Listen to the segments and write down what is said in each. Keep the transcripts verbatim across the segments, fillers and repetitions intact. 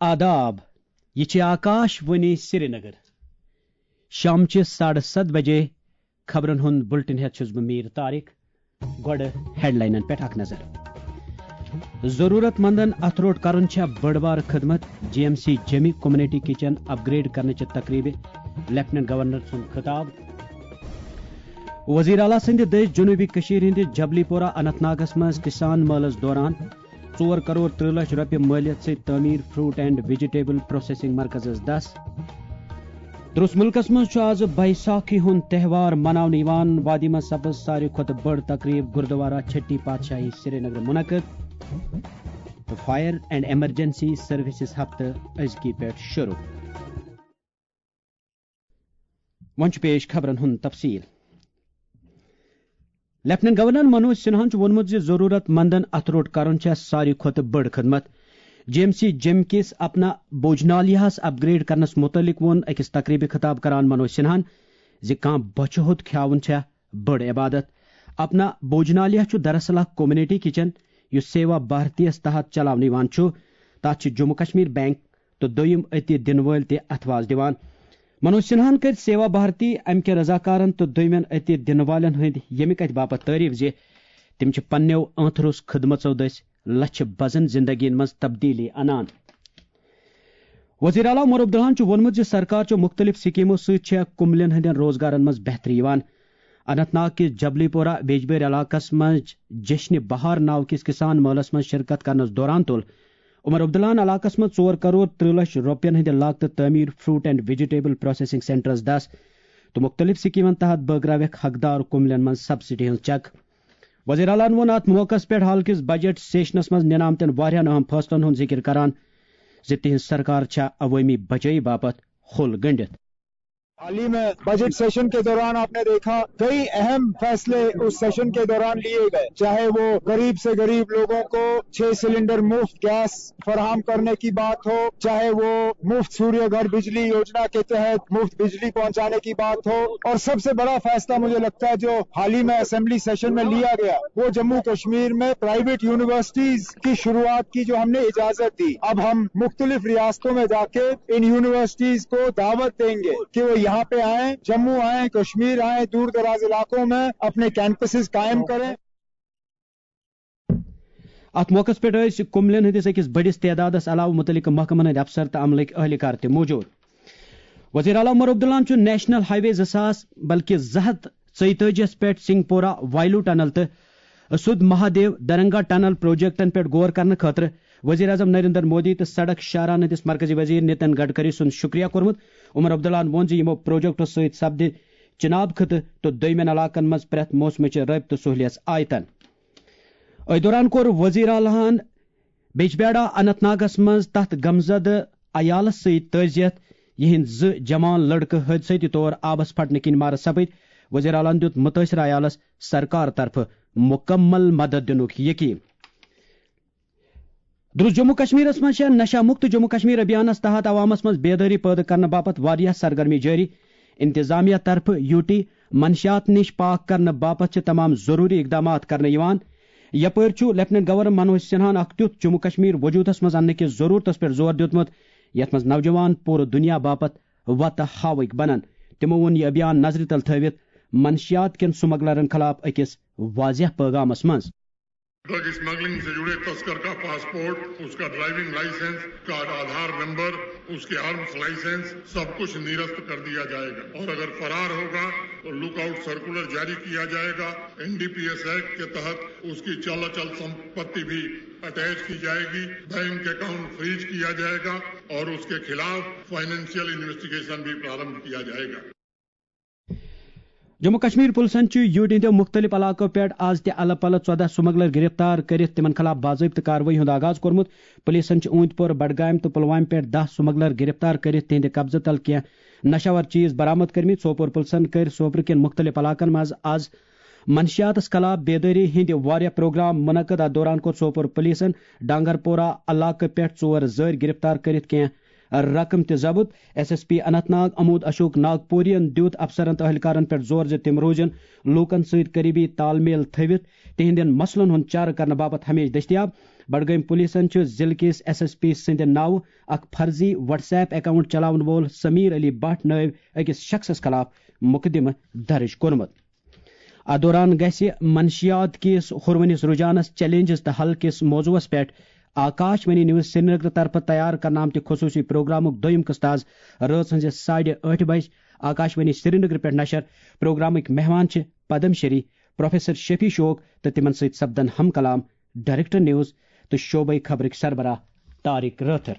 آداب، یہِ چھِ آکاش وانی سرینگر۔ شامچہِ ساڑٕ ستھ بجے خبرن ہُنٛد بُلٹن ہٮ۪تھ چھُس بہٕ میٖر طارق۔ گۄڈٕ ہیڈلاینن پٮ۪ٹھ اکھ نظر۔ ضروٗرت مندن اتھٕ روٚٹ کرُن چھےٚ بٔڑ بار خدمت، جی ایم سی جیمی کمیونٹی کچن اپ گریڈ کرنٕچہِ تقریبہِ، لیفٹیننٹ گورنر سُنٛد خطاب۔ وزیر اعلیٰ سٕنٛدِ دٔسۍ جنوبی کٔشیٖر ہٕنٛدِ جبلی پورہ اننت ناگس منٛز کسان مٲلس دوران ژور کرور ترٕہ لچھ رۄپیہِ مٲلیت سۭتۍ تعمیٖر فروٹ اینڈ ویجیٹیبل پروسیسنگ مرکزس دس۔ درس مُلکس منٛز چھُ آز بیساکھی ہُنٛد تہوار مناونہٕ یِوان۔ وادی منٛز سپٕز ساروی کھۄتہٕ بٔڑ تقریب گردوارہ چھٹی پادشاہی سرینگر منعقد۔ تہٕ فائر اینڈ ایمرجنسی سروسز ہفتہٕ أزکی پٮ۪ٹھ شروع۔ وۄنۍ چھُ پیش خبرن ہُنٛد تفصیل۔ لیفٹیننٹ گورنر منوج سنہاہن چھُ ووٚنمُت زِ ضروٗرت مندن اتھٕ روٚٹ کرُن چھےٚ ساروی کھۄتہٕ بٔڑ خدمت۔ جی ایم سی جیم کِس اپنا بوجنالیاہس اپ گریڈ کرنس مُتعلق ووٚن أکِس تقریبہِ خطاب کران منوج سنہاہن زِ کانٛہہ بۄچھِ ہوٚت کھیاوُن چھےٚ بٔڑ عبادت۔ اپنا بوجنالیہ چھُ دراصل اکھ کمیونٹی کچن یُس سیوا بھارتی یس تحت چلاونہٕ یِوان چھُ۔ تتھ چھِ جموں کشمیر بینک تہٕ دوٚیِم عطیہ دِنہٕ وٲلۍ تہِ اتھواز دِوان۔ منوج سنہاہن کٔرۍ سیوا بھارتی، امہِ کٮ۪ن رضاکارن تہٕ دوٚیمٮ۪ن عطیہ دِنہٕ والٮ۪ن ہٕنٛدۍ ییٚمہِ کتھِ باپتھ تعریف زِ تِم چھِ پننٮ۪و ٲنٛتھرُس خدمژو دٔسۍ لچھِ بزن زندگین منٛز تبدیلی انان۔ وزیر اعلیٰ عمر عبداللہن چھُ ووٚنمُت زِ سرکار چھُ مُختٔلِف سکیمو سۭتۍ چھےٚ کُملٮ۪ن ہٕنٛدٮ۪ن روزگارن منٛز بہتری یِوان۔ اننت ناگ کِس جبلی پورہ بیجبیر علاقس منٛز جشن بہار ناو کِس کسان مٲلس منٛز شرکت کرنس دوران تُل عمر عبداللہن علاقس منٛز ژور کرور ترٕہ لچھ رۄپین ہٕنٛدِ لاگتہٕ تعمیٖر فروٹ اینڈ ویجیٹیبل پروسیسنگ سینٹرس دس تہٕ مُختٔلِف سکیمن تحت بٲگراوکھ حقدار کُملٮ۪ن منٛز سبسڈی ہٕنٛز چیک۔ وزیر اعلیٰ ووٚن اتھ موقعس پٮ۪ٹھ حال کِس بجٹ سیشنس منٛز نِنہٕ آمتٮ۪ن واریاہن اہم فٲصلن ہُنٛد ذِکر کران زِ تِہنٛز سرکار چھےٚ عوٲمی بچٲیی باپتھ کھُل گٔنٛڈِتھ۔ حال ہی میں بجٹ سیشن کے دوران آپ نے دیکھا، کئی اہم فیصلے اس سیشن کے دوران لیے گئے، چاہے وہ غریب سے غریب لوگوں کو چھ سلنڈر مفت گیس فراہم کرنے کی بات ہو، چاہے وہ مفت سوریہ گھر بجلی یوجنا کے تحت مفت بجلی پہنچانے کی بات ہو، اور سب سے بڑا فیصلہ مجھے لگتا ہے جو حال ہی میں اسمبلی سیشن میں لیا گیا، وہ جموں کشمیر میں پرائیویٹ یونیورسٹیز کی شروعات کی جو ہم نے اجازت دی۔ اب ہم مختلف ریاستوں میں جا کے ان یونیورسٹیز کو دعوت دیں گے کہ وہ یہاں پہ آئیں، جموں آئیں، کشمیر آئیں، دور دراز علاقوں میں اپنے کیمپسز قائم کریں۔ اتھ موقعس پٮ۪ٹھ ٲسۍ کُملٮ۪ن ہٕنٛدِس أکِس بٔڑِس تعدادس علاوٕ مُتعلقہٕ محکمن ہٕنٛدۍ افسر تہٕ عملٕکۍ اہلکار تہِ موجود۔ وزیر اعلیٰ عمر عبداللہن چھُ نیشنل ہائی وے زٕ ساس بلکہِ زٕ ہتھ ژۄیتٲجی یس پٮ۪ٹھ سنگھ پورہ وائلو ٹنل تہٕ سدھ مہادیو درنگا ٹنل پروجیکٹن پٮ۪ٹھ غور کرنہٕ خٲطرٕ وزیر اعظم نریندر مودی تہٕ سڑک شاہراہن ہٕنٛدِس مرکزی وزیر نتن گڈکری سُنٛد شکریہ کوٚرمُت۔ عمر عبداللہن ووٚن زِ یِمو پروجیکٹو سۭتۍ سپدِ چناب خطہٕ تہٕ دوٚیمٮ۪ن علاقن منٛز پرٛٮ۪تھ موسمٕچہِ رٲبطہٕ سہولیژ آیتن۔ أتھۍ دوران کوٚر وزیر اعلیٰ ہن بیجبیڑا اننت ناگس منٛز تتھ غمزدٕ عیالس سۭتۍ تعزیت، یِہنٛدۍ زٕ جوان لڑکہٕ حٲدثٲتی طور آبس پھٹنہٕ کِنۍ مارٕ سپٕدۍ۔ وزیر اعلیٰ ہن دیُت مُتٲثرٕ عیالس سرکار طرفہٕ مُکمل مدد دِنُک یقین۔ درست جموں کشمیرس منٛز چھےٚ نشہ مکت جموں کشمیر ابھیانس تحت عوامس منٛز بیدٲری پٲدٕ کرنہٕ باپتھ واریاہ سرگرمی جٲری۔ انتظامیہ طرفہٕ یوٗٹی منشیات نِش پاک کرنہٕ باپتھ چھِ تمام ضروٗری اقدامات کرنہٕ یِوان۔ یپٲرۍ چھُ لیفٹیننٹ گورنر منوج سنہاہن اکھ تیُتھ جموں کشمیر وجوٗدس منٛز اننہٕ کِس ضروٗرتس پٮ۪ٹھ زور دیُتمُت، یتھ منٛز نوجوان پوٗرٕ دُنیا باپتھ وتہٕ ہاوٕکۍ بنن۔ تِمو ووٚن یہِ ابھیان نظرِ تل تھٲوِتھ منشیات کٮ۪ن سمگلرن خلاف أکِس واضح پٲغامس منٛز۔ ڈرگ اسمگلنگ سے جڑے تسکر کا پاسپورٹ، اس کا ڈرائیونگ لائسنس، اس کا آدھار نمبر، اس کے آرمز لائسنس، سب کچھ نرست کر دیا جائے گا اور اگر فرار ہوگا تو لک آؤٹ سرکولر جاری کیا جائے گا۔ N D P S act کے تحت اس کی چل اچل سمپتی بھی اٹیچ کی جائے گی، بینک اکاؤنٹ فریز کیا جائے گا اور اس کے خلاف فائنینشیل انویسٹیگیشن بھی پرارمبھ کیا جائے گا۔ جموں کشمیر پُلسن چھُ یوٗٹی ہٕنٛدیو مُختٔلِف علاقو پٮ۪ٹھ از تہِ الہٕ پلہٕ ژۄدہ سمگلر گرفتار کٔرِتھ تِمن خلاف باضٲبطہٕ کاروٲیی ہُنٛد آغاز کوٚرمُت۔ پُلسن چھِ اوٗنتۍ پور، بڈگام تہٕ پلوامہِ پٮ۪ٹھ دَہ سمگلر گرفتار کٔرِتھ تِہنٛدِ قبضہٕ تل کینٛہہ نشہٕ آور چیز برآمد کٔرمٕتۍ۔ سوپور پُلسن کٔرۍ سوپرٕ کٮ۪ن مُختٔلِف علاقن منٛز از منشیاتس خلاف بیدٲری ہٕنٛدۍ واریاہ پروگرام منعقد۔ اتھ دوران کوٚر سوپور پُلسن ڈانگر پورہ علاقہٕ پٮ۪ٹھ ژور زٲرۍ گرفتار کٔرِتھ کینٛہہ رقم تہِ ضبط۔ S S P Anant Nag امود Ashok ناگپورین دیُت افسرن تہٕ اہلکارن پٮ۪ٹھ زور زِ تِم روزن لوٗکن سۭتۍ قریبی تال میل تھٲوِتھ تِہنٛدٮ۪ن مسلن ہُنٛد چارٕ کرنہٕ باپتھ ہمیشہٕ دٔستیاب۔ بڈگٲمۍ پُلیٖسن چھُ ضلعہٕ کِس ایس ایس پی سٕنٛدِ ناوٕ اکھ فرضی WhatsApp account چلاون وول سمیر علی بٹ نٲوۍ أکِس شخصس خلاف مقدمہٕ درج کوٚرمُت۔ اتھ دوران گژھِ منشیات کِس ہُروٕنِس رجحانس، چیلنجز تہٕ حل کِس موضوعس پٮ۪ٹھ آکاش وانی نیوز سرینگر طرفہٕ تیار کرنہٕ آمتہِ خصوٗصی پروگرامُک دوٚیِم قسط آز رٲژ ہٕنٛزِ ساڑِ ٲٹھِ بجہِ آکاش وانی سرینگر پٮ۪ٹھ نشر۔ پروگرامٕکۍ مہمان چھِ پدم شری پروفیسر شفیع شوق تہٕ تِمن سۭتۍ سپدن ہم کلام ڈائریکٹر نیوز تہٕ شعبے خبرٕکۍ سربراہ طارق رٲتھر۔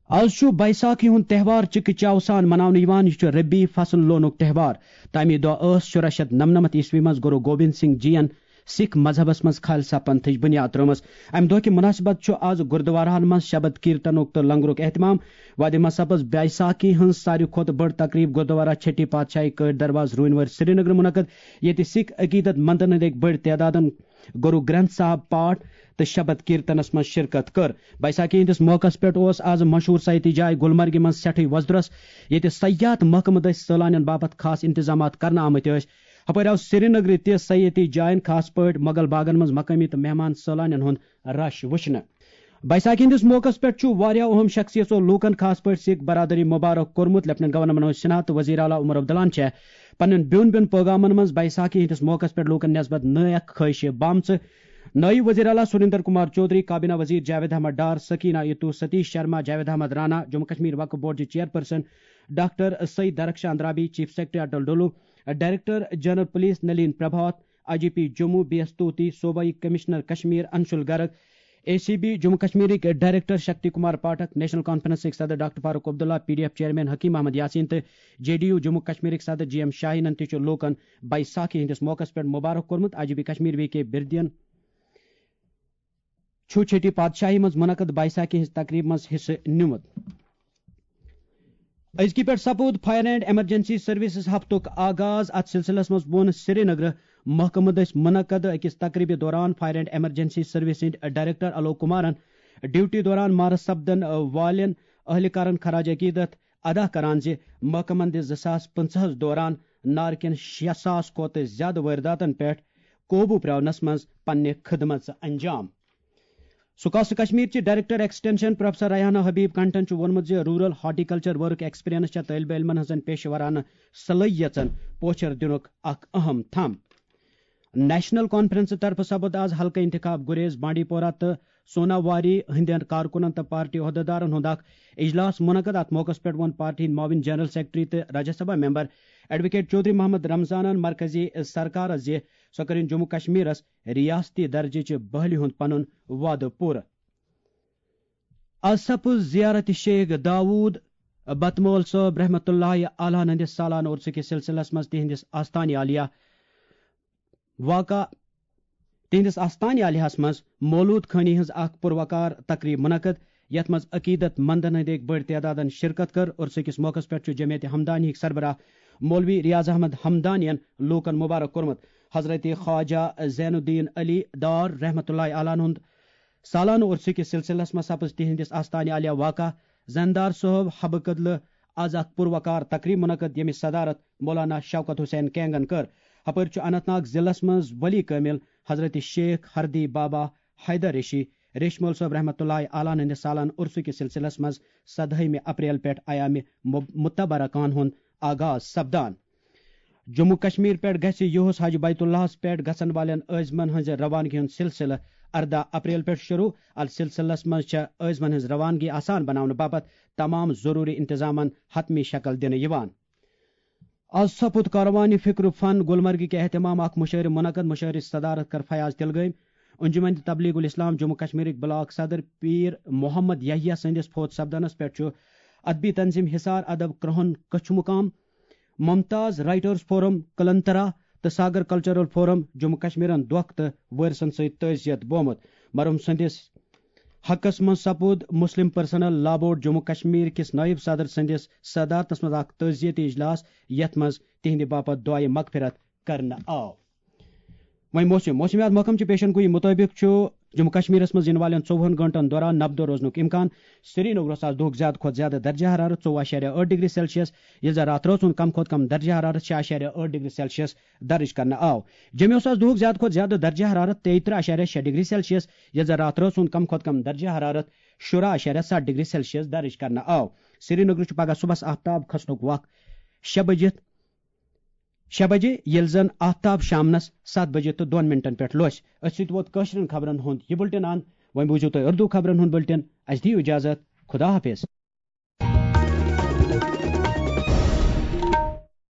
آز چھُ بیساکھی ہُنٛد تہوار چِکہٕ چاو سان مناونہٕ یِوان۔ یہِ چھُ ربی فصل لونُک تہوار۔ تَمی دۄہ ٲس شُراہ شیٚتھ نَمنَمَتھ عیسوی منٛز گُرو گوبند سنگھ جی ین سکھ مذہبس منٛز خالصہ پنتھٕچ بُنیاد ترٲومٕژ۔ اَمہِ دۄہ کہِ مناسبت چھُ آز گُردوارہَن منٛز شبد کیرتنُک تہٕ لنگرُک اہتمام۔ وادی منٛز سپٕز بیساکھی ہٕنٛز ساروی کھۄتہٕ بٔڑ تقریب گُردوارہ چھٹی پادشاہی کٲٹھۍ دروازٕ روٗنۍ وٲرۍ سرینگر منعقد، ییٚتہِ سکھ عقیدت مندن ہٕنٛدۍ أکۍ بٔڑۍ تعدادن گُرو گرنتھ صاحب پاٹھ تہٕ شبد کیرتنس منٛز شرکت کٔر۔ بیساکھی ہٕنٛدِس موقعس پٮ۪ٹھ اوس آز مشہوٗر سیاحتی جاے گلمرگہِ منٛز سٮ۪ٹھٕے وۄزدرس، ییٚتہِ سیاحت محکمہٕ دٔسۍ سٲلانٮ۪ن باپتھ خاص انتظامات کرنہٕ آمٕتۍ ٲسۍ۔ ہپٲرۍ آو سرینگرٕ تہِ سیاحتی جاین، خاص پٲٹھۍ مغل باغن منٛز مقٲمی تہٕ مہمان سٲلانٮ۪ن ہُنٛد رش وٕچھنہٕ۔ بیساکھی ہٕنٛدِس موقعس پٮ۪ٹھ چھُ واریاہ اہم شخصیژو لوٗکن، خاص پٲٹھۍ سکھ برادری، مبارک کوٚرمُت۔ لیفٹیننٹ گورنر منوج سنہا تہٕ وزیر اعلیٰ عمر عبداللہن چھےٚ پننٮ۪ن بیوٚن بیوٚن پٲغامن منٛز بیساکھی ہٕنٛدِس موقعس پٮ۪ٹھ لوٗکن نسبت نٲیکھ خٲہشہِ بامژٕ۔ نٲیِب وزیر اعلیٰ سریندر کمار چودھری، کابینہ وزیر جاوید احمد ڈار، سکینہ اتو، ستیش شرما، جاوید احمد رانا، جموں کشمیر وقف بورڈ چہِ chairperson doctor Syed Darakhshan Drabi, chief secretary Atal Dulloo, director general police Nalin Prabhat, I G P Jammu B S Tuti, صوبائی commissioner Kashmir Anshul Garg, A C B Jammu کشمیرٕکۍ ڈائریکٹر شکتی کمار پاٹھک، نیشنل کانفرنسٕکۍ صدر doctor Farooq Abdullah, P D F chairman Hakeem Mohammad Yasin تہٕ جے ڈی یو جموں کشمیرٕکۍ صدر جی ایم شاہینن تہِ چھُ لوٗکن بیساکھی ہٕنٛدِس موقعس پٮ۪ٹھ مبارک کوٚرمُت۔ I G P Kashmir V K بردین چھُ چھٹی پادشاہی منٛز منعقد بیساکھی ہٕنٛز تقریب منٛز حصہٕ نِمُت۔ أزکہِ پٮ۪ٹھ سپُد فائر اینڈ ایمرجنسی سروسز ہفتُک آغاز۔ اتھ سلسلس منٛز ووٚن سرینگرٕ محکمہٕ دٔسۍ منعقد أکِس تقریبہِ دوران فائر اینڈ ایمرجنسی سروس سٕنٛدۍ ڈائریکٹر الوک کمارن ڈیوٹی دوران مارٕ سپدن والٮ۪ن اہلکارن خراج عقیدت ادا کران زِ محکمن دِژ زٕ ساس پٕنٛژٕہس دوران نارٕ کٮ۪ن شےٚ ساس کھۄتہٕ زیادٕ وٲرداتن پٮ۪ٹھ قوبوٗ پرٛاونس منٛز پننہِ خدمژٕ انجام۔ سکاسٹ کشمیر چہِ ڈائریکٹر ایکسٹینشن پروفیسر ریحانہ حبیب کنٹھن چھُ ووٚنمُت زِ روٗرل ہارٹیکلچر ورک ایکسپیرینس چھےٚ طٲلبہِ علمن ہٕنٛزن پیشہٕ ورانہٕ صلٲحیژن پوچھر دِنُک اکھ اہم تھم۔ نیشنل کانفرنس طرفہٕ سپُد آز حلقہٕ انتخاب گریز، بانڈی پورہ تہٕ سوناواری ہٕنٛدٮ۪ن کارکُنن تہٕ پارٹی عہدیدارن ہُنٛد اکھ اجلاس منعقد۔ اتھ موقعس پٮ۪ٹھ ووٚن پارٹی ہٕنٛدۍ معاون جنرل سیکرٹری تہٕ راجیہ سبھا ممبر ایڈووکیٹ چودھری محمد رمضانن مرکزی سرکارس زِ سۄ کٔرِن جموں کشمیرس ریاستی درجٕچ بحالی ہُنٛد پنُن وعدٕ پوٗرٕ۔ از سپُز زیارت شیخ داوود بتمول صٲب رحمتہ اللہ علیہ ہٕنٛدِس سالانہٕ عرسہٕ کِس سلسلس منٛز تِہنٛدِس آستانہِ عالیہ واقع، تِہنٛدِس آستانہِ عالیہس منٛز مولود خٲنی ہٕنٛز اکھ پُروقار تقریب منعقد، یتھ منٛز عقیدت مندن ہٕنٛدۍ أکۍ بٔڑۍ تعدادن شرکت کٔر۔ عرسہٕ کِس موقعس پٮ۪ٹھ چھُ جمعیت ہمدانی ہٕکۍ سربراہ مولوی ریاض احمد ہمدانین لوٗکن مبارک کوٚرمُت۔ حضرت خواجہ زین الدین علی دار رحمتہ اللہ علیہ ہُنٛد سالانہٕ عرسہٕ کِس سلسلس منٛز سپٕز تِہنٛدِس آستانہِ عالیہ واقع زیندار صٲب حبہٕ کدلہٕ از اکھ پُروقار تقریب منعقد، ییٚمِچ صدارت مولانا شوکت حسین کینگن کٔر۔ ہپٲرۍ چھُ اننت ناگ ضلعس منٛز ولی کٲمل حضرت شیخ ہردی بابا حیدر ریشی ریشمول صٲب رحمتہ اللہ علیہ ہٕنٛدِس سالانہٕ عرسہٕ کِس سلسلس منٛز سدہٲیمہِ اپریل پٮ۪ٹھ ایامِ مب-، متبرکہ ہُنٛد آغاز سپدان۔ جموں کشمیر پٮ۪ٹھ گژھِ یُہُس حج بیت اللہس پٮ۪ٹھ گژھن والٮ۪ن عٲزمن ہٕنٛزِ روانگی ہُنٛد سلسلہٕ ارداہ اپریل پٮ۪ٹھ شروع۔ اتھ سلسلس منٛز چھےٚ عٲزمن ہٕنٛز روانگی آسان بناونہٕ باپتھ تمام ضروری انتظامن حتمی شکل دِنہٕ یِوان۔ از سپُد کاروانِ فکر فن گلمرگہِ کہِ اہتمام اکھ مشاعرٕ منعقد۔ مشاعرٕچ صدارت کٔر فیاض تلگٲمۍ۔ انجمن تبلیغ الاسلام جموں کشمیرٕکۍ بلاک صدر پیر محمد یحییٰ سٕنٛدِس فوت سپدنس پٮ۪ٹھ چھُ ادبی تنظیم حصار، ادب کرٛہُن کچھ مقام، ممتاز رائٹرز فورم کلنترا تہٕ ساگر کلچرل فورم جموں کشمیرن دۄکھ تہٕ وٲرثن سۭتۍ تعزیت بومُت۔ مرحوم سٕنٛدِس حقس منٛز سپُد مسلم پرسنل لا بورڈ جموں کشمیر کِس نائب صدر سٕنٛدِس صدارتس منٛز اکھ تعزیتی اجلاس، یتھ منٛز تِہنٛدِ باپتھ دعائے مغفرت کرنہٕ آو۔ وۄنۍ موسم۔ موسمیات محکمہٕ چہِ پیشن گویی مُطٲبِق چھُ جموں کشمیرس منٛز یِنہٕ والٮ۪ن ژوٚوُہن گٲنٛٹن دوران نبدو روزنُک امکان۔ سرینگرس آز دۄہُک زیادٕ کھۄتہٕ زیادٕ درجہ حرارت ژوٚوُہ اعشاریہ ٲٹھ ڈگری سیلسیس، ییٚلہِ زن راتھ رٲژ ہُنٛد کم کھۄتہٕ کم درجہ حرارت شےٚ اعشاریہ ٲٹھ ڈگری سیلسیس درج کرنہٕ آو۔ جوٚمہِ اوس آز دۄہُک زیادٕ کھۄتہٕ زیادٕ درجہ حرارت تیٚیہِ ترٕٛہ اعشاریہ شےٚ ڈگری سیلسیس، ییٚلہِ زن راتھ رٲژ ہُنٛد کم کھۄتہٕ کم درجہ حرارت شُراہ اعشاریہ ستھ ڈگری سیلسیس درج کرنہٕ آو۔ سرینگرٕ چھُ پگاہ صبحس آفتاب کھسنُک وق شےٚ بجِتھ شےٚ بجے، ییٚلہِ زن آفتاب شامنس ستھ بجے تہٕ دۄن منٹن پٮ۪ٹھ لوسہِ۔ أتھۍ سۭتۍ ووت کٲشرٮ۪ن خبرن ہُنٛد یہِ بُلٹن اند۔ وۄنۍ بوٗزِو تُہۍ اردو خبرن ہُنٛد بُلٹن۔ اسہِ دِیِو اجازت۔ خدا حافظ۔